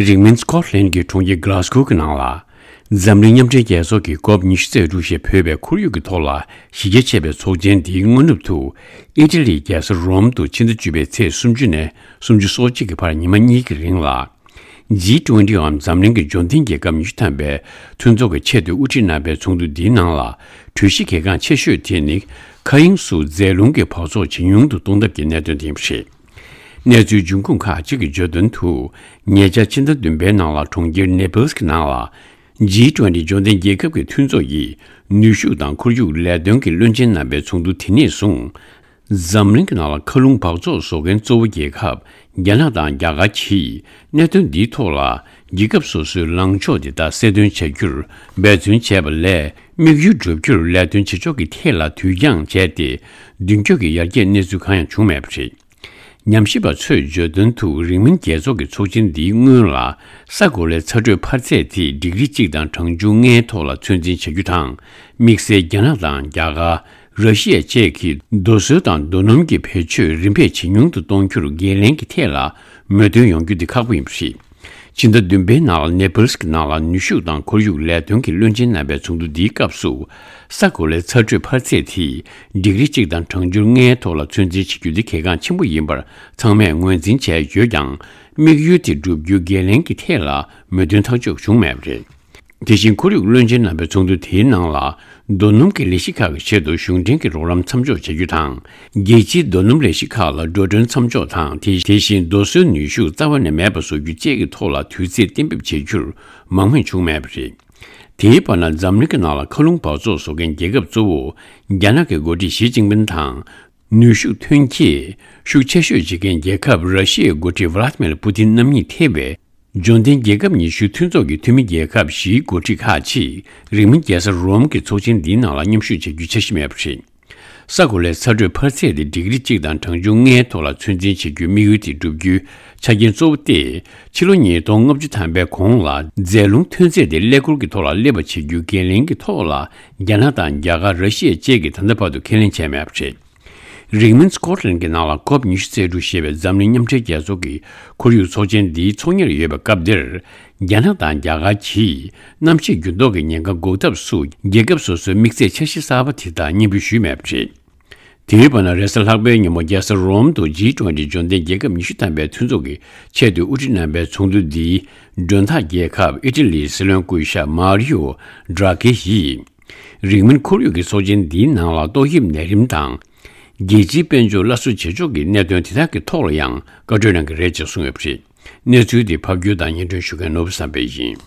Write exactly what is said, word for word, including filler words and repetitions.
རིང་མིན་སྐོཊ་ལན་གྱི་གྲོང་ཁྱེར་གྷ་ལ་སྒོ་གི་ནང་ལ། འཛམ་གླིང་མཉམ་འབྲེལ་རྒྱལ་ཚོགས་ཀྱི་ཀོབ་ཉི་ཤུ་རྩ་དྲུག་ཞེས་འབོད་པའི་ཁོར་ཡུག་གི་ཐོག་ལ་གཞི་རྒྱ་ཆེ་བའི་ཚོགས་ཆེན་འདིའི་སྔ་ནུབ་ཏུ། ཨི་ཊ་ལིའི་རྒྱལ་ས་རོམ་དུ་ཕྱི་ཟླ་བཅུ་པའི་ཚེས་སུམ་ཅུ་ནས་སུམ་ཅུ་སོ་གཅིག་གི་བར་ཉི་མ་གཉིས་ཀྱི་རིང་ལ། ཇི་ཊུ་ཝེན་ཊི་འམ་འཛམ་གླིང་གི་འབྱོར་ལྡན་རྒྱལ་ཁབ་ཉི་ཤུ་ཐམ་པའི་མཐུན་ཚོགས་ཀྱི་ཆེད་དུ་དབུ་ཁྲིད་གནང་བའི་ཚོགས་འདུ་འདིའི་ནང་ལ། གྲོས་གཞི་གལ་འགངས་ཆེ་ཤོས་དེ་ནི། མཁའ་དབྱིངས་སུ་རྫས་ལུང་གི་འབག་བཙོག་ཇེ་ཉུང་དུ་གཏོང་ཐབས་ཀྱི་གནད་དོན་དེ་ཡིན་པ་རེད། གནས་ཚུལ་འབྱུང་ཁུངས་ཁག་ཅིག་གིས་བརྗོད་དོན་དུ། ཉེ་ཆར་ཕྱི་ཟླ་བདུན་པའི་ནང་ལ་གྲོང་ཁྱེར་ནེ་པལ་གྱི་ནང་ལ། ཇི་ཊུ་ཝེན་ཊི་འབྱོར་ལྡན་རྒྱལ་ཁབ་ཀྱི་མཐུན་ཚོགས་ཀྱི་ནུས་ཤུགས་དང་ཁོར་ཡུག་ལས་དོན་གྱི་བློན་ཆེན་རྣམ་པའི་ཚོགས་འདུ་དེ་ནས་བཟུང་། འཛམ་གླིང་གི་ནང་ལ་མཁའ་རླུང་འབག་བཙོག་བཟོ་མཁན་གཙོ་བོ་རྒྱལ་ཁབ་རྒྱ་ནག་དང་རྒྱ་གར་གྱིས་གནད་དོན་འདིའི་ཐོག་ལ་རྒྱལ་ཁབ་སོ་སོའི་ལངས་ཕྱོགས་དེ་དག་གསལ་སྟོན་བྱ་རྒྱུར་འབད་བརྩོན་བྱས་པ་ལས། དམིགས་ཡུལ་བསྒྲུབ་རྒྱུར་ལས་དོན་བྱེད་ཕྱོགས་ཀྱི་ཐད་ལ་དུས་འགྱངས་བྱས་ཏེ། མདུན་སྐྱོད་ཀྱི་ཡར་རྒྱས་གནས་ཚུལ་གང་ཡང་བྱུང་མེད་པ་རེད། ཉམས་ཞིབ་པ་ཚོས་བརྗོད་དོན་དུ། རིང་མིན་རྒྱལ་ཚོགས་ཀྱི་ཚོགས་ཆེན་འདིའི་སྔོན་ལ། ས་གོ་ལའི་ཚ་དྲོད་འཕར་ཚད་དེ་ཌིག་རི་གཅིག་དང་གྲངས་ཆུང་ལྔའི་ཐོག་ལ་ཚོད་འཛིན་བྱ་རྒྱུ་དང་། དམིགས་བསལ་རྒྱ་ནག་དང་རྒྱ་གར། ར་ཤི་ཡ་བཅས་ཀྱིས་རྡོ་སོལ་དང་རྡོ་སྣུམ་གྱི་བེད་སྤྱོད་རིམ་པས་ཇེ་ཉུང་དུ་གཏོང་རྒྱུར་འགན་ལེན་གྱི་ཐད་ལ་མོས་མཐུན་ཡོང་རྒྱུ་འདི་ཁག་པོ་ཡིན་པ་རེད། ཕྱི་ཟླ་བདུན་པའི་ནང་ལ་ནེ་པལ་གྱི་ནང་ལ་ནུས་ཤུགས་དང་ཁོར་ཡུག་ལས་དོན་གྱི་བློན་ཆེན་རྣམ་པའི་ཚོགས་འདུ་འདིའི་སྐབས་སུ། ས་གོ་ལའི་ཚ་དྲོད་འཕར་ཚད་དེ་ཌིག་རི་གཅིག་དང་གྲངས་ཆུང་ལྔའི་ཐོག་ལ་ཚོད་འཛིན་བྱེད་རྒྱུ་འདི་གལ་འགངས་ཆེན་པོ་ཡིན་པར་ཚང་མས་ངོས་འཛིན་བྱས་ཡོད་ཀྱང་། དམིགས་ཡུལ་དེ་བསྒྲུབ་རྒྱུའི་འགན་ལེན་གྱི་ཐད་ལ་མོས་མཐུན་ཐག་གཅོད་བྱུང་མེད་པ་རེད། དེ་བཞིན་ཁོར་ཡུག་བློན་ཆེན་རྣམ་པའི་ཚོགས་འདུ་དེའི་ནང་ལ། རྡོ་སྣུམ་གྱི་ལས་གཞི་ཁག་གི་ཆེད་དུ་གཞུང་འབྲེལ་གྱི་རོགས་རམ་མཚམས་འཇོག་བྱ་རྒྱུ་དང་། རྒྱལ་སྤྱིའི་རྡོ་སྣུམ་ལས་གཞི་ཁག་ལ་འགྲོ་གྲོན་མཚམས་འཇོག་དང་། དེ་དེ་བཞིན་རྡོ་སོལ་ནུས་ཤུགས་རྩ་བ་ནས་མེད་པ་བཟོ་རྒྱུ་བཅས་ཀྱི་ཐོག་ལ་དུས་ཚོད་གཏན་འབེབས་བྱེད་རྒྱུར་མང་མོས་བྱུང་མེད་པ་རེད། དེའི་བར་ན་འཛམ་གླིང་གི་ནང་ལ་མཁའ་རླུང་འབག་བཙོག་བཟོ་མཁན་རྒྱལ་ཁབ་གཙོ་བོ། རྒྱ་ནག་གི་འགོ་ཁྲིད་ཞི་ཅིན་ཕིན་དང་། ནུས་ཤུགས་ཐོན་སྐྱེད་ཤུགས་ཆེ་ཤོས་བྱེད་མཁན་རྒྱལ་ཁབ་ར་ཤི་ཡའི་འགོ་ཁྲིད་ཝ་ལ་ཏི་མེར་པུ་ཏིན་རྣམ་གཉིས་ཐེ་བའི་འབྱོར་ལྡན་རྒྱལ་ཁབ་ཉི་ཤུའི་མཐུན་ཚོགས་ཀྱི་འཐུས་མི་རྒྱལ་ཁབ་བཞིའི་འགོ་ཁྲིད་ཁག་ཅིག་རིང་མིན་རྒྱལ་ས་རོམ་གྱི་ཚོགས་ཆེན་འདིའི་ནང་ལ་མཉམ་ཞུགས་བྱ་རྒྱུའི་འཆར་གཞི་མེད་པ་རེད། ས་གོ་ལའི་ཚ་དྲོད་འཕར་ཚད་དེ་ཌིག་རི་གཅིག་དང་གྲངས་ཆུང་ལྔའི་ཐོག་ལ་ཚོད་འཛིན་བྱེད་རྒྱུའི་དམིགས་ཡུལ་དེ་བསྒྲུབ་རྒྱུའི་ཆ་རྐྱེན་གཙོ་བོ་སྟེ། ཕྱི་ལོ་ཉིས་སྟོང་ལྔ་བཅུ་ཐམ་པའི་གོང་ལ་རྫས་ལུང་ཐོན་ཚད་དེ་ཀླད་ཀོར་གྱི་ཐོག་ལ་སླེབས་པ་བྱེད་རྒྱུའི་འགན་ལེན་གྱི་ཐོག་ལ་རྒྱ་ནག་དང་རྒྱ་གར། ར་ཤི་ཡ་བཅས་ཀྱིས་ད་ལྟ་བར་དུ་ཁས་ལེན་བྱས་མེད་པ་རེད། རིང་མིན་སྐོཊ་ལན་གྱི་ནང་ལ་ཀོབ་ཉི་ཤུ་རྩ་དྲུག་ཞེས་པའི་འཛམ་གླིང་མཉམ་འབྲེལ་རྒྱལ་ཚོགས་ཀྱི་ཁོར་ཡུག་ཚོགས་ཆེན་འདིའི་ཚོགས་གཉེར་ཡོད་པའི་སྐབས་འདིར། རྒྱ་ནག་དང་རྒྱ་གར་གྱིས་གནམ་གཤིས་འགྱུར་ལྡོག་གི་ཉེན་ཁ་འགོག་ཐབས་སུ་རྒྱལ་ཁབ་སོ་སོའི་དམིགས་ཚད་འཆར་གཞི་གསར་པ་དེ་དག་སྙན་འབུལ་ཞུས་མེད་པ་རེད། དེའི་བར་ན་རེས་གཟའ་ལྷག་པའི་ཉིན་མོ་རྒྱལ་ས་རོམ་དུ་ཇི་ཊུ་ཝེན་ཊི་འབྱོར་ལྡན་རྒྱལ་ཁབ་ཉི་ཤུ་ཐམ་པའི་མཐུན་ཚོགས་ཀྱི་ཆེད་དུ་དབུ་ཁྲིད་གནང་བའི་ཚོགས་འདུ་འདིའི་མགྲོན་བདག་རྒྱལ་ཁབ་ཨི་ཊ་ལིའི་སྲིད་བློན་སྐུ་ཞབས་མཱ་རི་ཡོ་ཌ་ར་ཀེ་ཡིས། རིང་མིན་ཁོར་ཡུག་གི་ཚོགས་ཆེན་འདིའི་ནང་ལ་ཏོག་དབྱིབས་ནད་རིམས་དང་། རྒྱལ་སྤྱིའི་དཔལ་འབྱོར་སླར་གསོ་བྱེད་ཕྱོགས་ཀྱི་གནད་དོན་དེ་དག་གི་ཐོག་ལ་ཡང་བཀའ་གྲོས་གནང་གི་རེད་ཅེས་གསུངས་ཡོད་པ་རེད། གནས་ཚུལ་འདི་ཕབ་སྒྱུར་དང་སྙན་སྒྲོན་ཞུ་མཁན་ནོར་བུ་བསམ་འཕེལ་ཡིན།